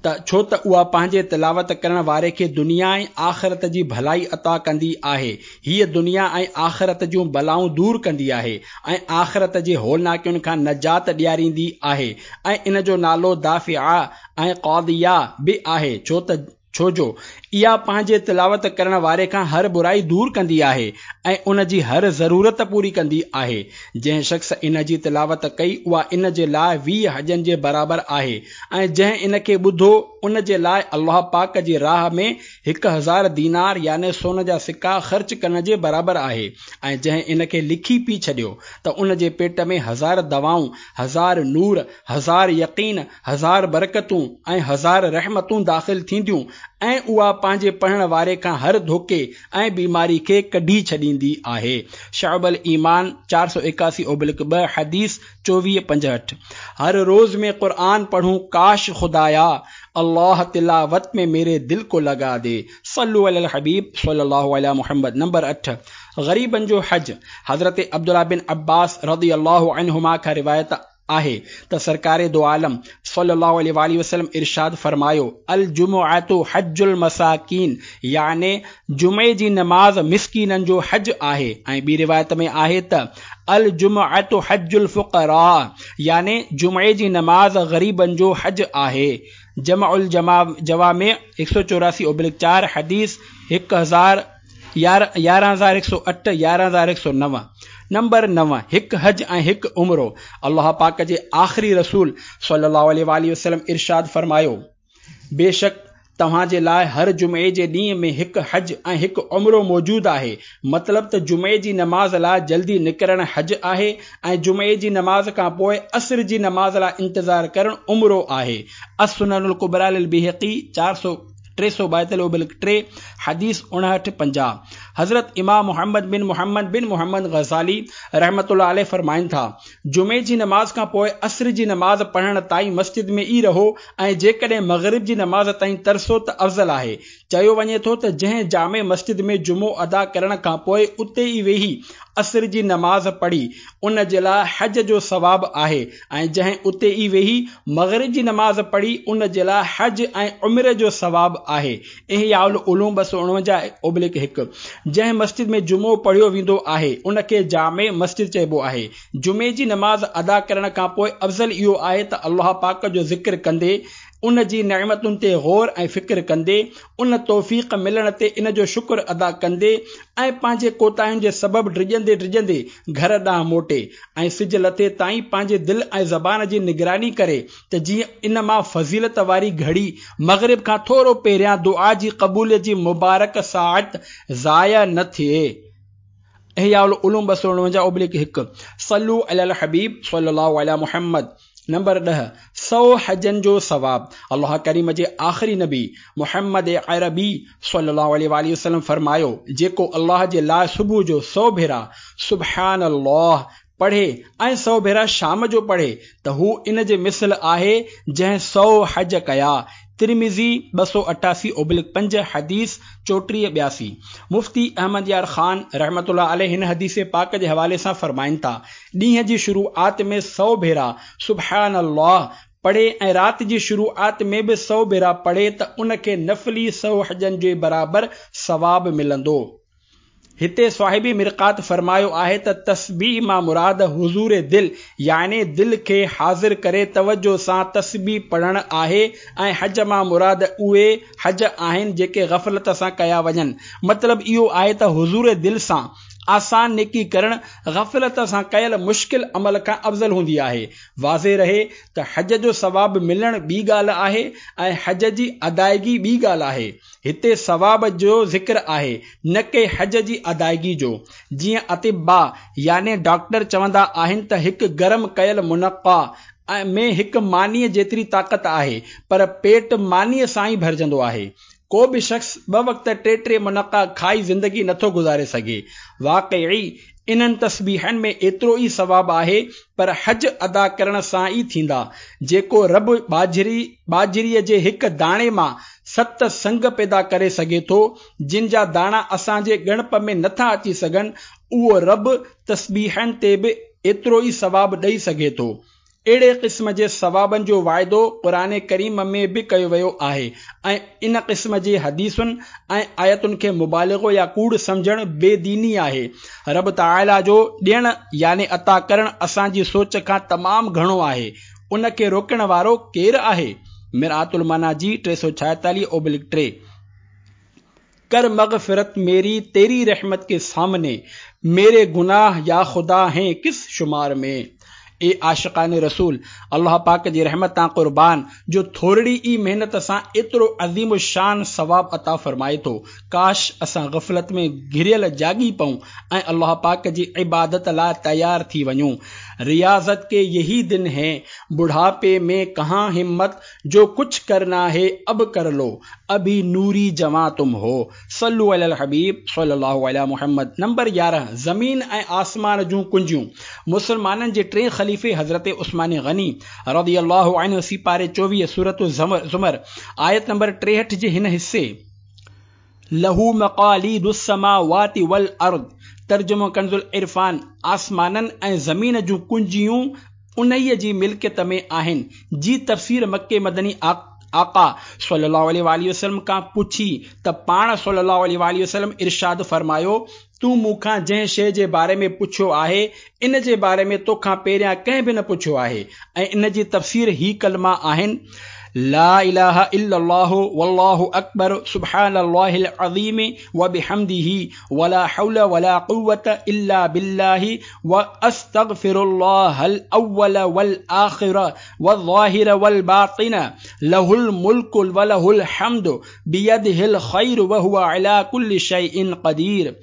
ته ڇو ته اها پنهنجي تلاوت ڪرڻ واري کي دنيا ۽ آخرت جي ڀلائي عطا ڪندي آهي. هيء دنيا ۽ آخرت جون بلائون دور ڪندي آهي ۽ آخرت جي هولناڪين کان نجات ڏياريندي آهي ۽ ان جو نالو دافعه ۽ قاضيه به آهي ڇو ته ڇو جو اها پنهنجي تلاوت ڪرڻ واري کان هر برائي دور ڪندي آهي ۽ ان جي هر ضرورت پوري ڪندي آهي. جنهن شخص ان جي تلاوت ڪئي اها ان جي لاء 20 حجن جي برابر آهي ۽ جنهن ان کي ٻڌو ان جي لاء الله پاڪ جي راهه ۾ 1000 دينار يعني سون جا سڪا خرچ ڪرڻ جي برابر آهي ۽ جنهن ان کي لکي پي ڇڏيو ته ان جي پيٽ ۾ هزار دعائون، هزار نور، هزار يقين، هزار برڪتون ۽ هزار رحمتون داخل ٿينديون ۽ اها پنهنجي پڙهڻ واري کان هر ڌوڪي ۽ بيماري کي ڪڍي ڇڏيندي آهي. شعب الايمان 481/2 حديث 24 65. هر روز ۾ قرآن پڙهون ڪاش خدايا الله تلاوت ۾ ميري دل ڪو لگا the صلو علي الحبيب صلي الله علي محمد نمبر 8 غريبن جو حج حضرت عبدالله بن عباس رضي الله عنهما کان روايت آهي ته سرڪار دو عالم صلّي الله عليه واٰله وسلّم ارشاد فرمايو، الجمعة حج المساڪين يعني جمعي جي نماز مسڪينن جو حج آهي ۽ ٻي روايت ۾ آهي ته الجمعة حج الفقراء يعني جمعي جي نماز غريبن جو حج آهي جمع الجوامع 184/4 حديث 1000 11108 11109 نمبر 9 هڪ حج ۽ هڪ عمرو الله پاڪ جي آخري رسول صلي الله عليه واٰله وسلم ارشاد فرمايو بيشڪ توهان جي لاء هر جمعي جي ڏينهن ۾ هڪ حج ۽ هڪ عمرو موجود آهي مطلب ته جمعي جي نماز لاء جلدي نڪرڻ حج آهي ۽ جمعي جي نماز کان پوء عصر جي نماز لاء انتظار ڪرڻ عمرو آهي السنن الڪبريٰ للبيهقي 400 342/3، حديث 59 50. حضرت امام محمد بن محمد بن محمد غزالي رحمة الله عليه فرمائن ٿا، جمعي جي نماز کان پوء عصر جي نماز پڙهڻ تائين مسجد ۾ ئي رهو ۽ جيڪڏهن مغرب جي نماز تائين ترسو ته افضل آهي. چيو وڃي ٿو ته جنهن جامع مسجد ۾ جمعو ادا ڪرڻ کان پوء اتي ئي ويهي عصر جي نماز پڙهي، ان جي لاء حج جو ثواب آهي ۽ جنهن اتي ئي ويهي مغرب جي نماز پڙهي، ان جي لاء حج ۽ عمري جو ثواب آهي. احياء العلوم 249/1 جنهن مسجد ۾ جمعو پڙهيو ويندو آهي، ان کي جامع مسجد چئبو آهي. جمعي جي نماز ادا ڪرڻ کان پوء افضل اهو آهي ته الله پاڪ جو ذڪر ڪندي، ان جي نعمتن تي غور ۽ فڪر ڪندي، ان توفيق ملڻ تي ان جو شڪر ادا ڪندي ۽ پنهنجي ڪوتاهين جي سبب ڊڄندي ڊڄندي گهر ڏانهن موٽي ۽ سج لٿي تائين پنهنجي دل ۽ زبان جي نگراني ڪري ته جيئن ان مان فضيلت واري گهڙي مغرب کان ٿورو پهريان دعا جي قبوليت جي مبارڪ ساعت ضايع نه ٿئي. احياء العلوم 249/1 صلو علی الحبيب صلي الله علي محمد نمبر 10 سؤ حجن جو ثواب الله ڪريم جي آخري نبي محمد عربي صلي الله عليه واٰله وسلم فرمايو جيڪو الله جي لاء صبح جو سؤ ڀيرا سبحان الله پڙهي ۽ سؤ ڀيرا شام جو پڙهي ته هو ان جي مثل آهي جنهن سؤ حج ڪيا ترمذي 288/5 حديث 34 82 مفتي احمد يار خان رحمة الله عليه هن حديث پاڪ جي حوالي سان فرمائن ٿا، ڏينهن جي شروعات ۾ سؤ ڀيرا سبحان الله پڙهي ۽ رات جي شروعات ۾ به سؤ ڀيرا پڙهي ته ان کي نفلي سؤ حجن جي برابر ثواب ملندو. هتي صاحب مرقات فرمايو آهي ته تسبيح مان مراد حضور دل يعني دل کي حاضر ڪري توجه سان تسبيح پڙهڻ آهي ۽ حج مان مراد اهي حج آهن جيڪي غفلت سان ڪيا وڃن. مطلب اهو آهي ته حضور دل سان آسان نيڪي ڪرڻ غفلت سان ڪيل مشڪل عمل کان افضل هوندي آهي. واضح رهي ته حج جو ثواب ملڻ ٻي ڳالهه آهي ۽ حج جي ادائگي ٻي ڳالهه آهي. هتي ثواب جو ذڪر آهي نه ڪي حج جي ادائگي جو. جيئن اطباء يعني ڊاڪٽر چوندا آهن ته هڪ گرم ڪيل منقع ۾ هڪ مانيء جيتري طاقت آهي پر پيٽ مانيء سان ئي ڀرجندو آهي. ڪو به شخص ٻه وقت ٽي ٽي منقع کائي زندگي نٿو گذاري سگهي. واقعي انهن تسبيحن ۾ ايترو ئي ثواب آهي پر حج ادا ڪرڻ سان ئي ٿيندا. جيڪو رب ٻاجهري ٻاجهريء جي هڪ داڻي مان ست سنگ پيدا ڪري سگهي ٿو، جن جا داڻا اسان جي ڳڻپ ۾ نٿا اچي سگهن، اهو رب تسبيحن تي به ايترو ئي ثواب ڏئي سگهي ٿو. اهڙي قسم جي ثوابن جو واعدو قرآن ڪريم ۾ به ڪيو ويو آهي ۽ ان قسم جي حديثن ۽ آيتن کي مبالغو يا ڪوڙ سمجهڻ بي ديني آهي. رب تعاليٰ جو ڏيڻ يعني عطا ڪرڻ اسان جي سوچ کان تمام گهڻو آهي، ان کي روڪڻ وارو ڪير آهي؟ مرآة المناجي 346/3. ڪر مغفرت ميري تيري رحمت ڪي سامني، ميري گناھ يا خدا هين ڪس شمار ۾. اي عاشقان رسول! الله پاڪ جي رحمت تان قربان جو ٿورڙي ئي محنت سان ايترو عظيم الشان ثواب عطا فرمائي ٿو. ڪاش اسان غفلت ۾ گهريل جاڳي پئون ۽ الله پاڪ جي عبادت لاء تيار ٿي وڃون. رياضت ڪي يهي دن هين، بڙهاپي ۾ ڪهان همت جو ڪڇ ڪرنا هي اب ڪر لو، ابهي نوري جوان تم هو. صلو علي الحبيب صلي الله علي محمد نمبر 11 زمين ۽ آسمان جون ڪنجيون مسلمانن جي ٽئين خليفي حضرت عثمان غني رضي الله عنه سيپاري 24 سورة الزمر آيت نمبر 63 جي هن حصي له مقاليد السماوات والارض ترجمو ڪنز العرفان آسمانن ۽ زمين جون ڪنجيون انهيء جي ملڪيت ۾ آهن جي تفسير مڪي مدني آقا صلي الله عليه واٰله وسلم کان پڇي ته پاڻ صلي الله عليه واٰله وسلم ارشاد فرمايو، تون مون کان جنهن شيء جي باري ۾ پڇيو آهي ان جي باري ۾ توکان پهريان ڪنهن به نه پڇيو آهي ۽ ان جي تفسير هي ڪلما آهن، لا اله الا الله والله اڪبر سبحان الله العظيم وبحمده ولا حول ولا قوة الا بالله واستغفر الله الاول والآخر والظاهر والباطن له الملڪ وله الحمد بيده الخير وهو علي ڪل شيء قدير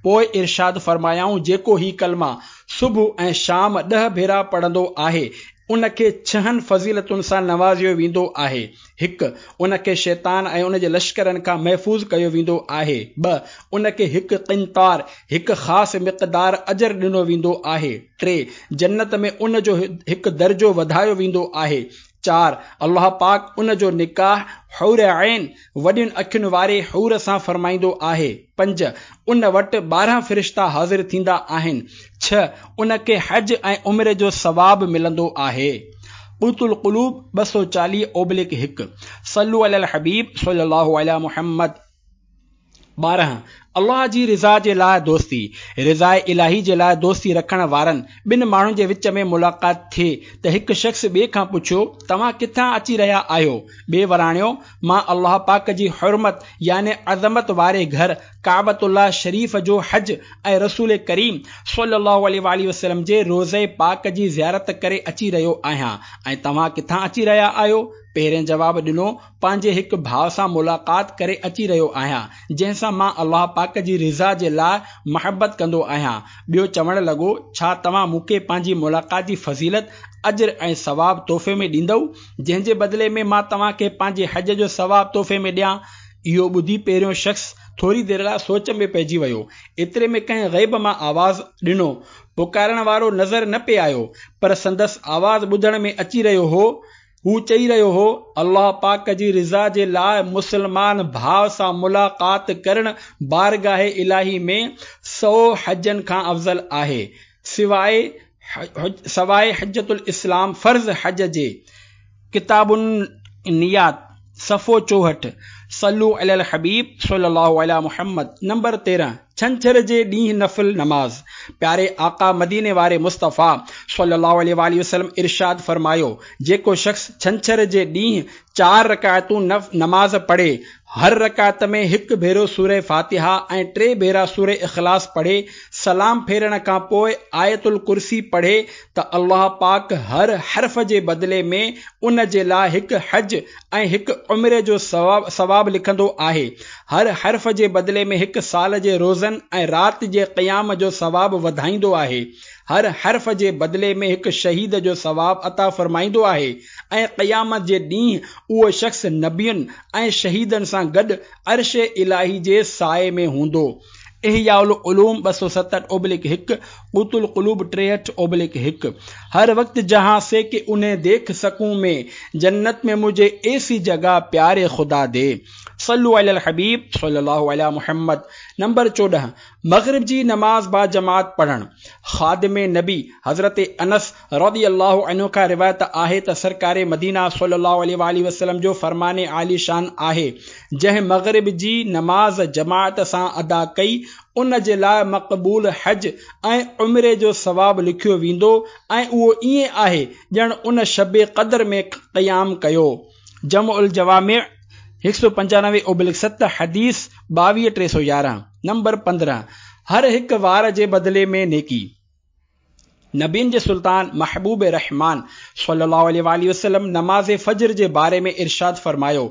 پوء ارشاد فرمايائون جيڪو هي ڪلما صبح ۽ شام ڏهه ڀيرا پڙهندو آهي ان کي ڇهن فضيلتن سان نوازيو ويندو آهي، هڪ. ان کي شيطان ۽ ان جي لشڪرن کان محفوظ ڪيو ويندو آهي. ٻه. ان کي هڪ قنطار، هڪ خاص مقدار، اجر ڏنو ويندو آهي. ٽي. جنت ۾ ان جو هڪ درجو وڌايو ويندو آهي. چار. الله پاڪ ان جو نڪاح حور عين، وڏين اکين واري حور، سان فرمائيندو آهي. پنج. ان وٽ 12 فرشتا حاضر ٿيندا آهن. ڇهه. ان کي حج ۽ عمري جو ثواب ملندو آهي. قوت القلوب 240/1 صلو علي الحبيب صلي الله علي محمد 12. الله جي رضا جي لاء دوستي، رضاء الاهي جي لاء دوستي رکڻ وارن ٻن ماڻهن جي وچ ۾ ملاقات ٿي ته هڪ شخص ٻئي کان پڇيو، توهان ڪٿان اچي رهيا آهيو؟ ٻئي وراڻيو، مان الله پاڪ جي حرمت يعني عظمت واري گهر ڪعبة الله شريف جو حج ۽ رسول ڪريم صلي الله عليه واٰله وسلم جي روضي پاڪ جي زيارت ڪري اچي رهيو آهيان ۽ توهان ڪٿان اچي رهيا آهيو؟ پهرين جواب ڏنو، پنهنجي هڪ ڀاء سان ملاقات ڪري اچي رهيو آهيان، جنهن سان مان الله پاڪ جي رضا جي لاء محبت ڪندو آهيان. ٻيو چوڻ لڳو، ڇا توهان مون کي پنهنجي ملاقات جي فضيلت، اجر ۽ ثواب تحفي ۾ ڏيندؤ، جنهن جي بدلي ۾ مان توهان کي پنهنجي حج جو ثواب تحفي ۾ ڏيان؟ اهو ٻڌي پهريون شخص ٿوري دير لاء سوچ ۾ پئجي ويو. ايتري ۾ ڪنهن غيب مان آواز ڏنو. پڪارڻ وارو نظر نه پئي آيو، پر سندس آواز ٻڌڻ ۾ اچي رهيو هو. هو چئي رهيو هو، الله پاڪ جي رضا جي لاء مسلمان ڀاء سان ملاقات ڪرڻ بارگاهه الاهي ۾ سئو حجن کان افضل آهي، سواء حجة الاسلام فرض حج جي. ڪتاب النيات صفحو 64 صلو علي الحبيب صلي الله علي محمد نمبر 13 ڇنڇر جي ڏينهن نفل نماز پياري آقا مديني واري مصطفيٰ صلي الله عليه واٰله وسلم ارشاد فرمايو جيڪو شخص ڇنڇر جي ڏينهن چار رڪعتون نماز پڙهي هر رڪعت ۾ هڪ ڀيرو سوره فاتحه ۽ ٽي ڀيرا سوره اخلاص پڙهي، سلام ڦيرڻ کان پوء آيت الڪرسي پڙهي ته الله پاڪ هر حرف جي بدلي ۾ ان جي لاء هڪ حج ۽ هڪ عمري جو ثواب لکندو آهي. هر حرف جي بدلي ۾ هڪ سال جي روزن ۽ رات جي قيام جو ثواب وڌائيندو آهي. هر حرف جي بدلي ۾ هڪ شهيد جو ثواب عطا فرمائيندو آهي ۽ قيامت جي ڏينهن اهو شخص نبين ۽ شهيدن سان گڏ عرش الاهي جي سائي ۾ هوندو. احياء العلوم 270/1، قوت القلوب 63/1 هر وقت جهان سي ڪه انهين ديک سڪون مين، جنت ۾ مجهي ايسي جگه پياري خدا the. صلو علي الحبيب صلي الله علي محمد. نمبر 14، مغرب جي نماز باجماعت پڙهڻ. خادم نبي حضرت انس رضي الله عنه کان روايت آهي ته سرڪار مدينه صلي الله عليه واٰله وسلم جو فرمان عالي شان آهي، جنهن مغرب جي نماز جماعت سان ادا ڪئي ان جي لاء مقبول حج ۽ عمري جو ثواب لکيو ويندو ۽ اهو ائين آهي ڄڻ ان شب قدر ۾ قيام ڪيو. جمع الجوامع هڪ سؤ پنجانوي اوبلڪ ست حديث 22 311 نمبر 15 هر هڪ وار جي بدلي ۾ نيڪي. نبين جي سلطان محبوب رحمان صلي الله عليه واٰله وسلم نماز فجر جي باري ۾ ارشاد فرمايو،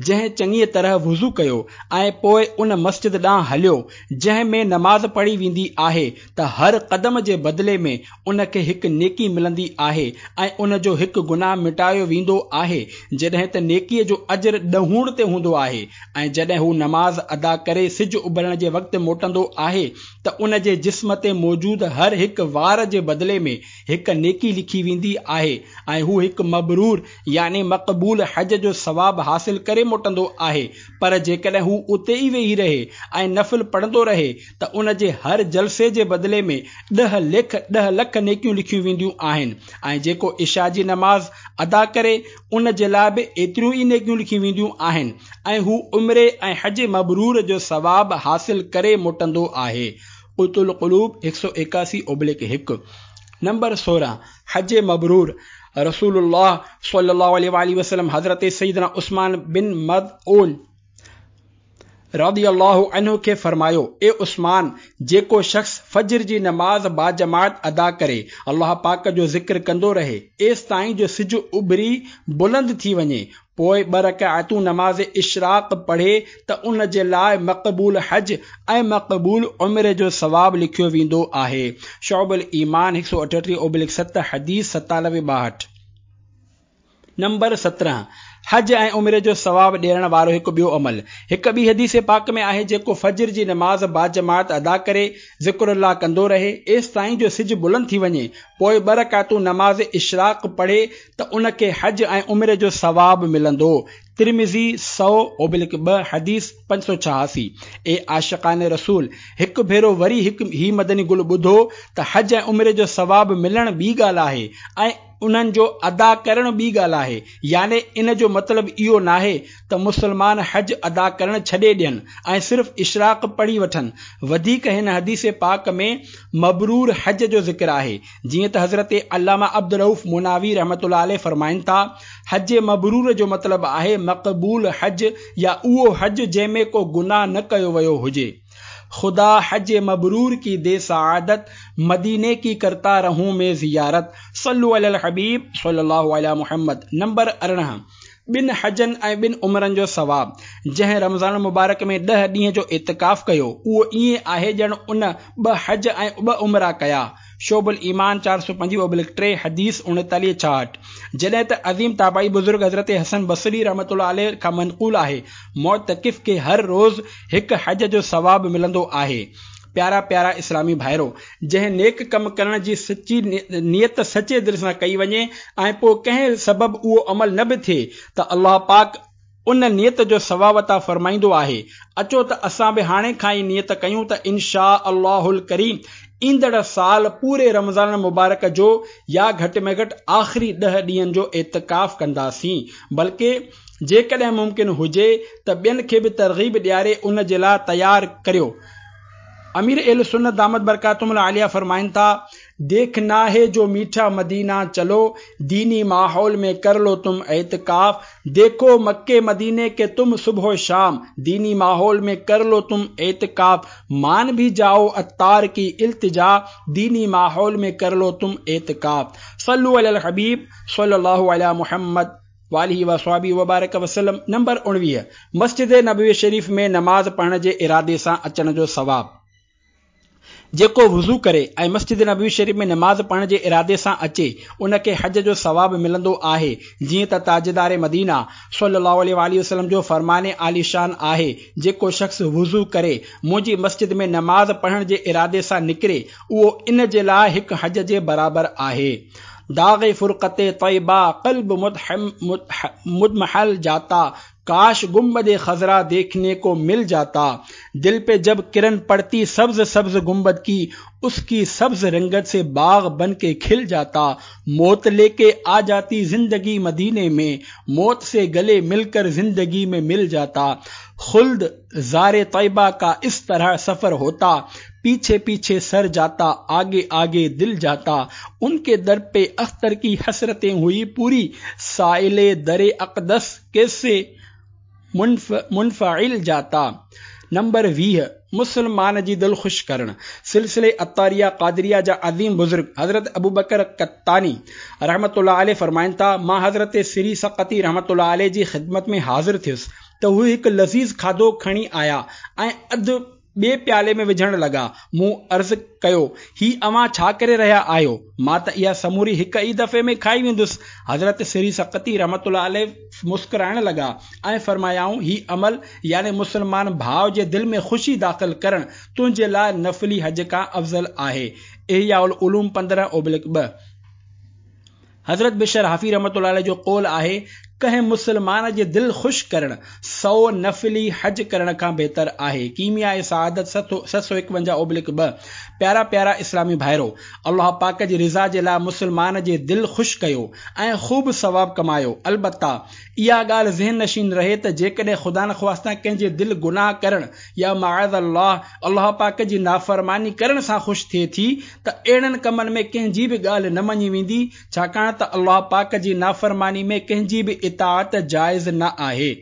جنهن چڱيء طرح وضو ڪيو ۽ پوء ان مسجد ڏانهن هليو جنهن ۾ نماز پڙهي ويندي آهي ته هر قدم جي بدلي ۾ ان کي هڪ نيڪي ملندي آهي ۽ ان جو هڪ گناهه مٽايو ويندو آهي جڏهن ته نيڪيء جو اجر ڏهوڻ تي هوندو آهي ۽ جڏهن هو نماز ادا ڪري سج اڀرڻ جي وقت موٽندو آهي ته ان جي جسم تي موجود هر هڪ وار جي بدلي ۾ هڪ نيڪي لکي ويندي آهي ۽ هو هڪ مبرور يعني مقبول حج جو ثواب حاصل ڪري موٽندو آهي پر جيڪڏهن هو اتي ئي ويهي رهي ۽ نفل پڙهندو رهي ته ان جي هر جلسي جي بدلي ۾ ڏهه ليک ڏهه لک نيڪيون لکيون وينديون آهن ۽ جيڪو عشاء جي نماز ادا ڪري ان جي لاء به ايتريون ئي نيڪيون لکيون وينديون آهن ۽ هو عمري ۽ حج مبرور جو ثواب حاصل ڪري موٽندو آهي. قوت القلوب هڪ سؤ ايڪاسي اوبليڪ هڪ. نمبر 16، حج مبرور، رسول الله صلي الله عليه واٰله وسلم حضرت سيدنا عثمان بن مظعون رضي الله عنه کي فرمايو، اي عثمان! جيڪو شخص فجر جي نماز باجماعت ادا ڪري، الله پاڪ جو ذڪر ڪندو رهي، ايستائين جو سج اڀري بلند ٿي وڃي، پوء ٻه رڪعتون نماز اشراق پڙهي ته ان جي لاء مقبول حج ۽ مقبول عمري جو ثواب لکيو ويندو آهي. شعب الايمان هڪ سؤ اٺٽيهه اوبلڪ ست حديث ستانوي ٻاهٺ. نمبر 17، حج ۽ عمري جو ثواب ڏيارڻ وارو هڪ ٻيو عمل. هڪ ٻي حديث پاڪ ۾ آهي جيڪو فجر جي نماز باجماعت ادا ڪري، ذڪر الله ڪندو رهي، ايستائين جو سج بلند ٿي وڃي، پوء ٻه رڪعتون نماز اشراق پڙهي ته ان کي حج ۽ عمري جو ثواب ملندو. ترمذي سؤ اوبلڪ ٻه حديث 586. اي عاشقان رسول! هڪ ڀيرو وري هڪ هي مدني گل ٻڌو ته حج ۽ عمري جو ثواب ملڻ ٻي ڳالهه آهي ۽ انهن جو ادا ڪرڻ ٻي ڳالهه آهي يعني ان جو مطلب اهو ناهي ته مسلمان حج ادا ڪرڻ ڇڏي ڏين ۽ صرف اشراق پڙهي وٺن وڌيڪ هن حديث پاڪ ۾ مبرور حج جو ذڪر آهي جيئن ته حضرت علامه عبدالرؤف مناوي رحمة الله عليه فرمائن ٿا، حج مبرور جو مطلب آهي مقبول حج يا اهو حج جنهن ۾ ڪو گناهه نه ڪيو ويو هجي. خدا حج مبرور ڪي the سعادت، مديني ڪي ڪرتا رهون مين زيارت، صلو علي الحبيب صلي الله علي محمد. نمبر 18، ٻن حجن ۽ ٻن عمرن جو ثواب، جنهن رمضان المبارڪ ۾ ڏهه ڏينهن جو اعتڪاف ڪيو، اهو ائين آهي ڄڻ ان ٻه حج ۽ ٻه عمرا ڪيا. شعب الايمان چار سؤ پنجويهه اوبلڪ ٽي، حديث اڻيتاليهه ڇاهٺ. جڏهن ته عظيم تابعي بزرگ حضرت حسن بصري رحمة الله عليه کان منقول آهي، معتڪف کي هر روز هڪ حج جو ثواب ملندو آهي. پيارا پيارا اسلامي ڀائرو! جنهن نيڪ ڪم ڪرڻ جي سچي نيت سچي دل سان ڪئي وڃي ۽ پوء ڪنهن سبب اهو عمل نه به ٿئي ته الله پاڪ ان نيت جو ثواب عطا فرمائيندو آهي. اچو ته اسان به هاڻي کان ئي نيت ڪيون ته ان شآء الله الڪريم ايندڙ سال پوري رمضان المبارڪ جو يا گهٽ ۾ گهٽ آخري ڏهه ڏينهن جو اعتڪاف ڪنداسين بلڪه جيڪڏهن ممڪن هجي ته ٻين کي به ترغيب ڏياري ان جي لاء تيار ڪريو. امير اهل سنت دامت برڪاتهم العاليه فرمائن ٿا، ديکنا هي جو ميٺا مدينه چلو، ديني ماحول ۾ ڪر لو تم اعتڪاف، ديکو مڪي مديني ڪي تم صبح و شام، ديني ماحول ۾ ڪر لو تم اعتڪاف، مان ڀي جائو عطار ڪي التجا، ديني ماحول ۾ ڪر لو تم اعتڪاف. صلو علي الحبيب صلي الله علي محمد. واٰله وصحبه وبارڪ وسلم نمبر 19 مسجد نبوي شريف ۾ نماز پڙهڻ جي ارادي سان اچڻ جو ثواب جيڪو وضو ڪري ۽ مسجد نبوي شريف ۾ نماز پڙهڻ جي ارادي سان اچي ان کي حج جو ثواب ملندو آهي جيئن ته تاجدار مدينه صلي الله عليه واٰله وسلم جو فرمان عاليشان آهي جيڪو شخص وضو ڪري منهنجي مسجد ۾ نماز پڙهڻ جي ارادي سان نڪري اهو ان جي لاء هڪ حج جي برابر آهي. داغ فرقت طيبه قلب مضمحل جاتا، काश गुंबद खजरा देखने को मिल जाता। दिल पे जब किरण पड़ती सब्ज सब्ज गुंबद की, उसकी सब्ज रंगत से बाग बन के खिल जाता। मौत लेके आ जाती जिंदगी मदीने में, मौत से गले मिलकर जिंदगी में मिल जाता। खुल्द ज़ारे तैयबा का इस तरह सफर होता, पीछे पीछे सर जाता, आगे आगे दिल जाता। उनके दर पे अख्तर की हसरतें हुई पूरी, साइले दरे अक़दस कैसे मुनफ़इल जाता। नंबर 20, मुसलमान जी दिलि ख़ुशि करणु। सिलसिले अतारिया कादरिया जा अज़ीम बुज़ुर्ग हज़रत अबू बकर कत्तानी रहमतुल्लाह अलैह फ़रमाइनि था, मां हज़रत सिरी सकती रहमतुल्लाह अलैह जी ख़िदमत में हाज़िर थियुसि त हू हिकु लज़ीज़ खाधो खणी आया ऐं अधु ॿिए प्याले में विझणु लॻा। मूं अर्ज़ कयो, ही अव्हां छा करे रहिया आहियो? मां त इहा समूरी हिकु ई दफ़े में खाई वेंदुसि। हज़रत सिरी सकती रहमतुल्लाह अलैह मुस्कुराइण लॻा ऐं फ़रमायाऊं, ही अमल यानी मुसलमान भाउ जे दिलि में ख़ुशी दाख़िल करणु तुंहिंजे लाइ नफ़ली हज खां अफ़ज़ल आहे। इहया उल उलूम 15/2। हज़रत बिशर हाफ़ी रहमतुल्लाह अलैह जो क़ौल आहे, कंहिं मुसलमान जे दिलि ख़ुशि करणु 100 नफ़ली हज करण खां बहितर आहे। कीमिया सआदत 751/2। प्यारा प्यारा इस्लामी भाइरो, अल्लाह पाक जी रज़ा जे लाइ मुसलमान जे दिलि ख़ुशि कयो ऐं ख़ूब सवाब कमायो। अलबत्ता इहा ॻाल्हि ज़हन नशीन रहे त जेकॾहिं ख़ुदा न ख़्वास्ता कंहिंजे दिलि गुनाह करण या माअज़ अल्लाह अल्लाह पाक जी नाफ़रमानी करण सां ख़ुशि थिए थी त अहिड़नि कमनि में कंहिंजी बि ॻाल्हि न मञी वेंदी, छाकाणि त अल्लाह पाक जी नाफ़रमानी में कंहिंजी बि इताअत जाइज़ न आहे।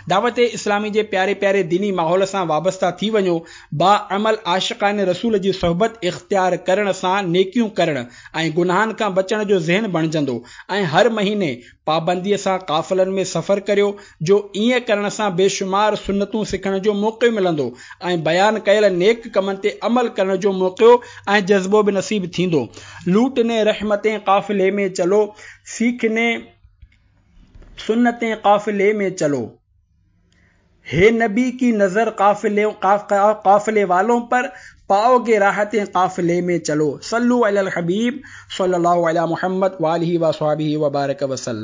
दावत इस्लामी जे प्यारे प्यारे दीनी माहौल सां वाबस्ता थी वञो। बाअमल आशिकान रसूल जी सोहबत इख़्तियार करण सां नेकियूं करण ऐं गुनाहनि खां बचण जो ज़हन बणिजंदो ऐं हर महीने पाबंदीअ सां काफ़िलनि में सफ़र करियो, जो ईअं करण सां बेशुमार सुन्नतूं सिखण जो मौक़ो मिलंदो ऐं बयान कयल नेक कमनि ते अमल करण जो मौक़ो ऐं जज़्बो बि नसीब थींदो। लूटने रहमतें काफ़िले में चलो, सीखने सुन्नतें काफ़िले में चलो। हे नबी की नज़र काफ़िले वालों पर, पाओगे राहतें काफ़िले में चलो। सल्लु अलल हबीब सल्लल्लाहु अलैहि मुहम्मद व आलिहि व अस्हाबिहि व बारक वसल्लम।